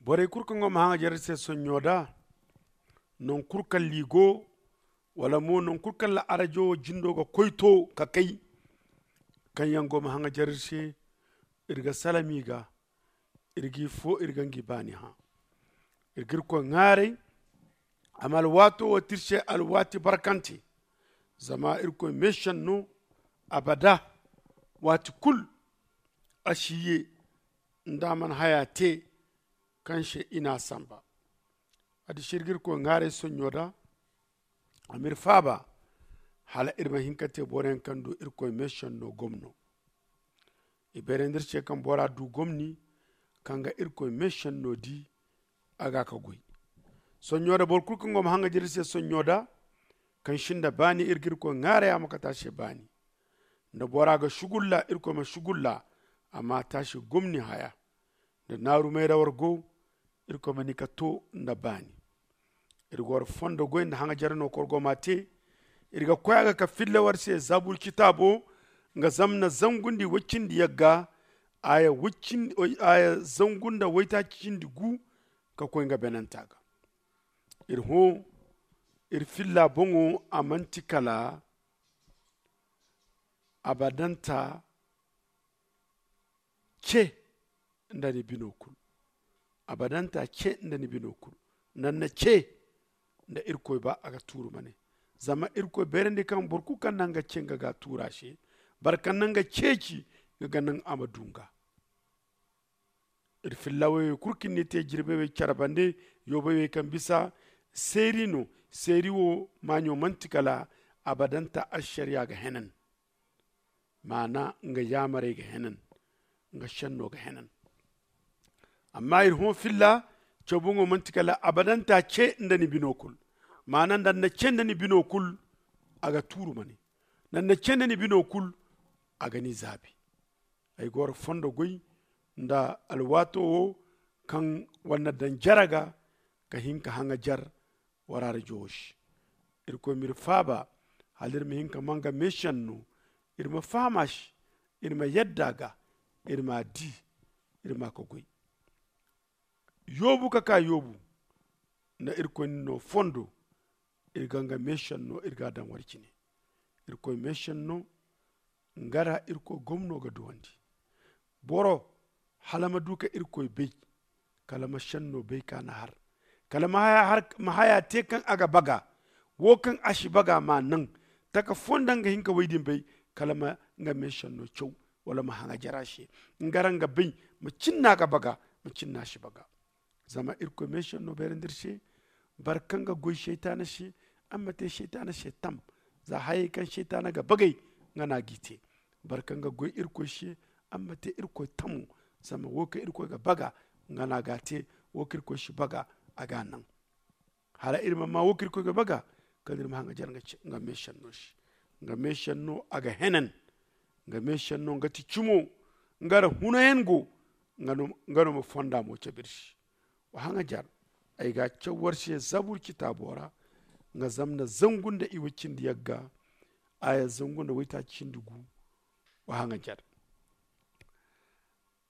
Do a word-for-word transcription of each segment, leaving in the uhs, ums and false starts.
Borey kulu kaŋ go ma haŋajer iri se sonɲo da, naŋ kulu kaŋ liigo wala mo naŋ kulu kaŋ la arajo wo jindo ga koy to ka kay, kaŋ yaŋ go ma haŋajer iri se, iri ga salam i ga, iri g'i fo iri ga ngi baani hã. Iri ga irkoy ŋaaray a ma alwaato wo te iri se alwaati barkante. Zama irkoy meesenno abada, waati kulu a si ye nda a mana haya te kaŋ se i n'a samba. Addiši iri ga irkoy ŋaaray sonɲo da, a m'iri faaba hala iri ma hin ka te boroyaŋ kaŋ du irkoy meesenno gomno. I beerandi iri se kaŋ bora du gomni kaŋ ga irkoy meesenno di a ga ka goy. Sonɲo da boro kulu kaŋ go ma haŋajer iri se sonɲo da, kaŋ sinda baani iri ga irkoy ŋaaray a ma kate a se baani. Nda bora ga sugulla irkoy ma sugulla, a ma te a se gomni haya. Nda naaru mayra war go, irkoy ma ni ka to nda baani. Iri ga war fondo goy nda haŋajer no kor go ma te. Iri ga koy a ga ka filla war se zabur citaabo, nga zamna zangu nda i woy cindi yagga, aya zangu nda waytaaci cindi gu ka koy nga beenanta ga. Iri hõ iri filla boŋo a manti kala abadanta ce nda ni bino kulu. Abadanta ce nda ni bino kulu. Naŋ na ce nda irkoy ba a ga tuuru ma ne. Zama irkoy beerandi kaŋ boro kulu kaŋ naŋ ga ce nga ga a tuuru a se, boro kaŋ naŋ ga ceeci nga ga naŋ a ma du nga. Iri fillawey wey kulu kaŋ ni te jirbey wey care bande, yoobey wey kaŋ bisa seeri no. Seeri wo maaɲo manti kala abadanta ašariya ga henan. Maana nga yaamarey ga henan, nga senno ga henan. Amma iri hõ filla cawbuŋo manti kala abadanta ce nda ni bino kulu. Maana nda ni na ce nda ni bino kulu, a ga tuuru ma ne. Nda ni na ce nda ni bino kulu, a ga ni zaabi. Ay ga war fondo goy nda alwaato wo kaŋ war na daŋ jare ga ka hin ka haŋajer war arajo wo se. Irkoy m'iri faaba hala iri ma hin ka maa nga meesenno, iri ma faham a se, iri ma yadda a ga, iri m'a di, iri m'a ka goy. Yoobu ka ka yoobu nda irkoy na no fondo, iri ga nga meesenno iri ga a daŋ war cine. Irkoy meesenno nga ra irkoy gomno ga duwandi. Boro hala ma du ka irkoy bay, kala ma senno bay ka na har, kala ma haya te kaŋ a ga baga. Wo kaŋ a si baga ma naŋ taka fo nda nga hin ka way din bay, kala ma nga meesenno caw, wala ma haŋajer a se. Nga ra nga bay ma cin no a ga baga, ma cin no a si baga. Zama irkoy meesenno beerandi iri se. Boro kaŋ ga goy seytaana se, a ma te seytaana se tam. Za hayey kaŋ seytaana ga bagay, nga no a g'i te. Boro kaŋ ga goy irkoy se, a ma te irkoy tamo. Zama wo kaŋ irkoy ga baga, nga no a g'a te. Wo kaŋ irkoy si baga, a g'a naŋ. Hala iri ma maa wo kaŋ irkoy ga baga, kala iri ma haŋajer nga meesenno se. Nga meesenno a ga henan. Nga meesenno nga ti cimo. Nga ra hunayaŋ go. Nga no ma fonda mo cabe iri se. Wa haŋajer. Ay ga a caw war se zabur citaabo ra. Nga zamna zangu nda i way cindi yagga, aya zangu nda waytaaci cindi gu. Wa haŋajer.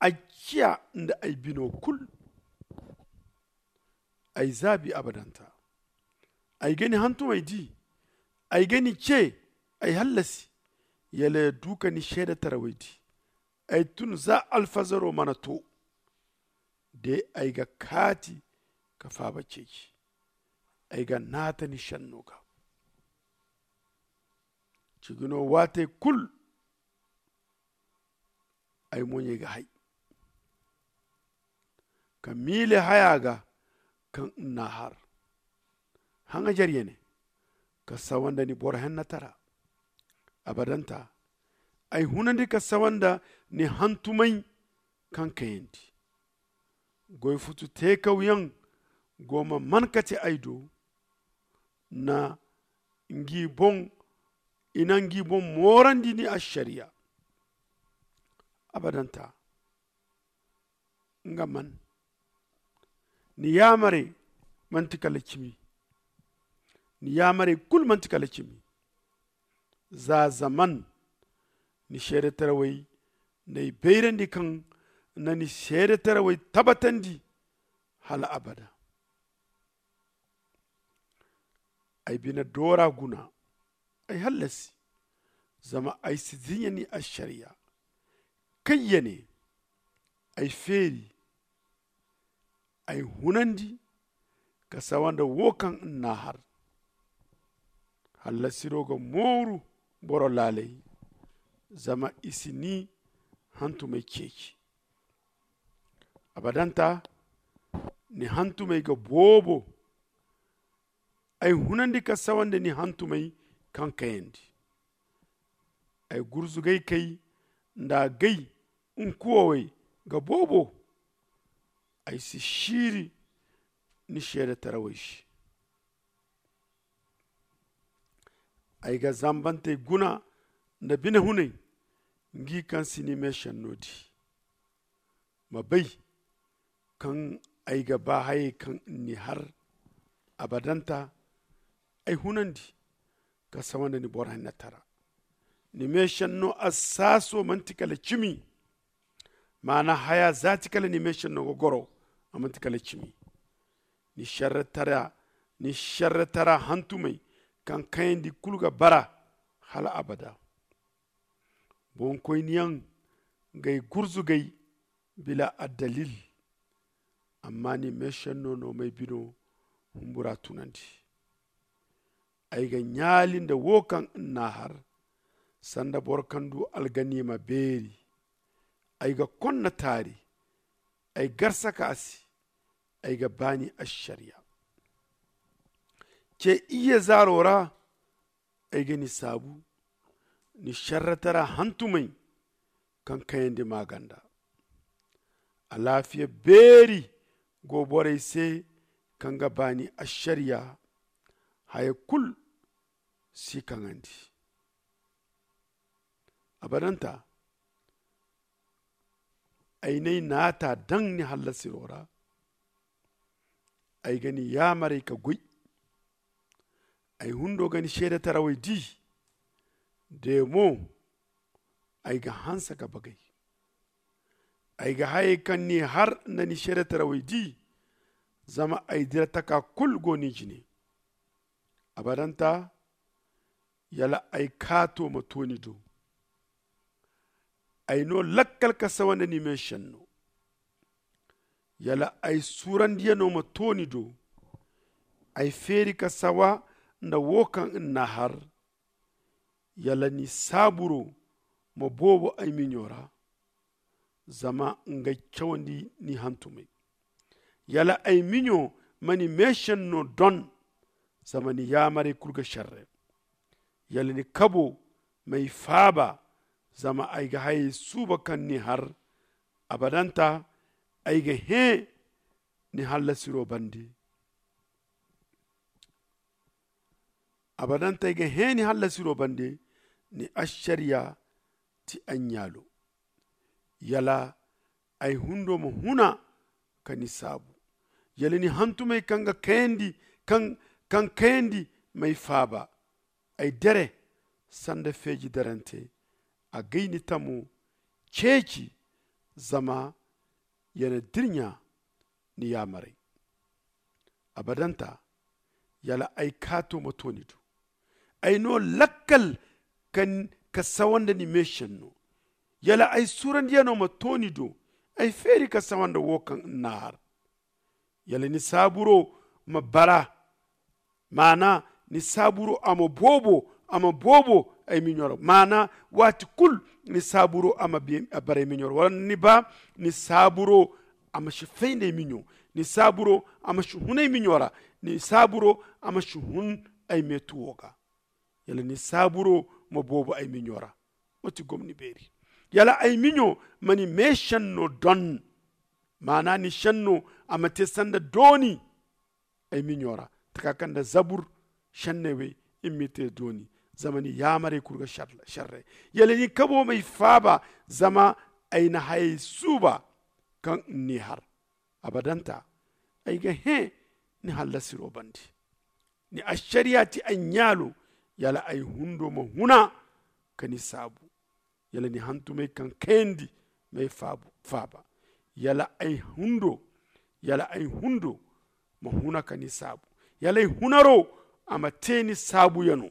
Ay ciya nda ay bino kulu. Ay zaabi abadanta. Ay ga ni hantumey di. Ay ga ni ce. Ay hallasi. Yala ya du ka ni seedetarawey di. Ay tun za alfazaro mana to. De ay ga kaati ka faaba ceeci. Ay ga naata ni senno ga. Cigino waatey kulu. Ay moɲey ga hay ka miile haya ga kaŋ n'a har. Haŋajer yene ka sawa nda ni boro hennatara. Abadanta ay hunandi ka sawa nda ni hantumay kaŋ kayandi. Goy futu teekawyaŋ go ma man ka ti ay do. Na ngi boŋ i na ngi boŋ moorandi ni ašariya. Abadanta nga man ni yaamarey manti kala cimi. Ni yaamarey kulu manti kala cimi. Za zaman ni seedetarawey n'ay bayrandi kaŋ na ni seedetarawey tabatandi. hala abada. Ay bine doora guna, ay hallasi, zama ay si dinya ni ašariya. Kayyane ay feeri, ay hunandi ka sawa nda wo kaŋ n'na har. Hallasiro ga mooru boro laalay, zama i si ni hantumay ceeci. Abadanta ni hantumey ga boobo. Ay hunandi ka sawa nda ni hantumey kaŋ kayandi. Ay gurzugay kay nda gay nkuwawey ga boobo. Ay si siiri ni seedetarawey se. Ay ga zambantey guna nda bine hunay, ngi kaŋ si ni meesenno di. Ma bay kaŋ ay ga ba hayey kaŋ ni har. Abadanta ay hunandi ka sawa nda ni borhaynatara. Ni meesenno assaaso manti kala cimi. Maana haya zaati kala ni meesenno ga goro, a manti kala cimi. Ni šerretara ni šerretara hantumey kaŋ kayandi kulu ga bara hala abada. Boŋkoyniyaŋ g'ay gurzugay bila addalil. Amma ni meesenno no m'ay bino humbura tunandi. Ay ga ɲaali nda wo kaŋ n'na har, sanda boro kaŋ du alganiima beeri. Ay ga konna taari, ay garsaka a se. Ay ga ba ni ašariya ce iyye zaaro ra. Ay ga ni saabu ni šerretara hantumey kaŋ kayandi maaganda. Alaafiya beeri go borey se kaŋ ga ba ni ašariya. Haya kulu si kaŋandi. Abadanta ay n'ay naata daŋ ni hallasiro ra. Ay ga ni yaamarey ka goy. Ay hundo ga ni seedetarawey di. De mo ay ga hanse ka bagay. Ay ga hayey kaŋ ni har nda ni seedetarawey di. Zama ay dira taka kulu go ni jine. Abadanta yala ay kaato ma to ni do. Ay no lakkal ka sawa nda ni meesenno. Yala ay suurandiyano ma to ni do. Ay feeri ka sawa nda wo kaŋ n'na har. Yala ni saaburo ma boobo ay miɲo ra. Zama ngey cawandi ni hantumey. Yala ay miɲo ma ni meesenno don. Zama ni yaamarey kulu ga šerre. Yala ni kabo m'ay faaba. Zama ay ga hayey suuba kaŋ ni har. Abadanta ay ga hẽ ni hallasiro bande. Abadanta ay ga hẽ ni hallasiro bande. Ni ašariya ti ay ɲaalo. Yala ay hundo ma huna ka ni saabu. Yala ni hantumey kaŋ ga kayandi kaŋ kayandi m'ay faaba. Ay dere sanda feeji derante. A g'ay ni tamo ceeci. Zama ya na dirɲa ni yaamarey. Abadanta yala ay kaato ma to ni do. Ay no lakkal ka sawa nda ni meesenno. Yala ay suurandiyano ma to ni do. Ay feeri ka sawa nda wo kaŋ n'na har. Yala ni saaburo ma bara. Maana ni saaburo a ma boobo a ma boobo ay miɲo ra. Maana waati kulu ni saaburo a ma bara ay miɲo ra wala ni ba ni saaburo a ma si fay nda ay miɲo. Ni saaburo a ma si hun ay miɲo ra. Ni saaburo a ma si hun ay meetuwo ga. Yala ni saaburo ma boobo ay miɲo ra. Wo ti gomni beeri. Yala ay miɲo ma ni meesenno don. Maana ni senno a ma te sanda dooni ay miɲo ra. Taka kaŋ nda zabur senney wey i ma i te dooni. Zama ni yaamarey kulu ga šerre. Yala ni kabo m'ay faaba. Zama ay na hayey suuba kaŋ n'ni har. Abadanta ay ga hẽ ni hallasiro bande. Ni ašariya ti ay ɲaalo. Yala ay hundo ma huna ka ni saabu. Yala ni hantumey kaŋ kayandi m'ay faaba. Yala ay hundo Yala ay hundo ma huna ka ni saabu? Yala ay hunaro a ma te ni saabu yano?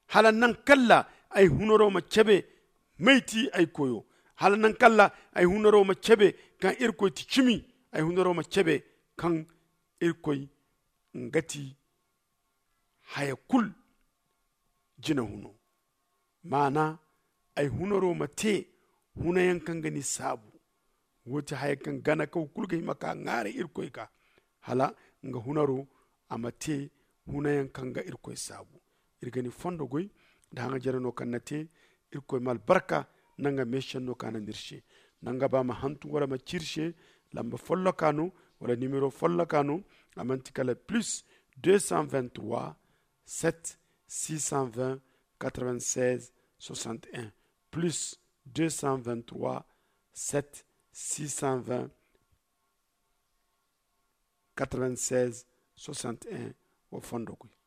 Hala nankalla ay hunaro ma cebe may ti ay koyo? Hala nankalla ay hunaro ma cebe kaŋ irkoy ti cimi? Ay hunaro ma cebe kaŋ irkoy nga ti haya kul jina huno? Maana, ay hunaro ma te hunayaŋ kaŋ ga ni saabu. Wo ti haya kaŋ gana kaw kulu ga hima ka ŋwaaray irkoy ga, hala nga hunaro a ma te hunayaŋ kaŋ ga irkoy saabu. Iri ga ni fondo goy nda haŋa jare no kaŋ na te. Irkoy ma albarka nda nga meesenno kaŋ a naŋ iri se. Nda nga ba ma hantum wala ma ci iri se, lamba folloka no wala nimero folloka no. A manti kala plus deux cent vingt-trois, sept, six cent vingt, quatre-vingt-seize, soixante et un, plus deux cent vingt-trois, sept, six cent vingt, quatre-vingt-seize, soixante et un. Wa fondo koy.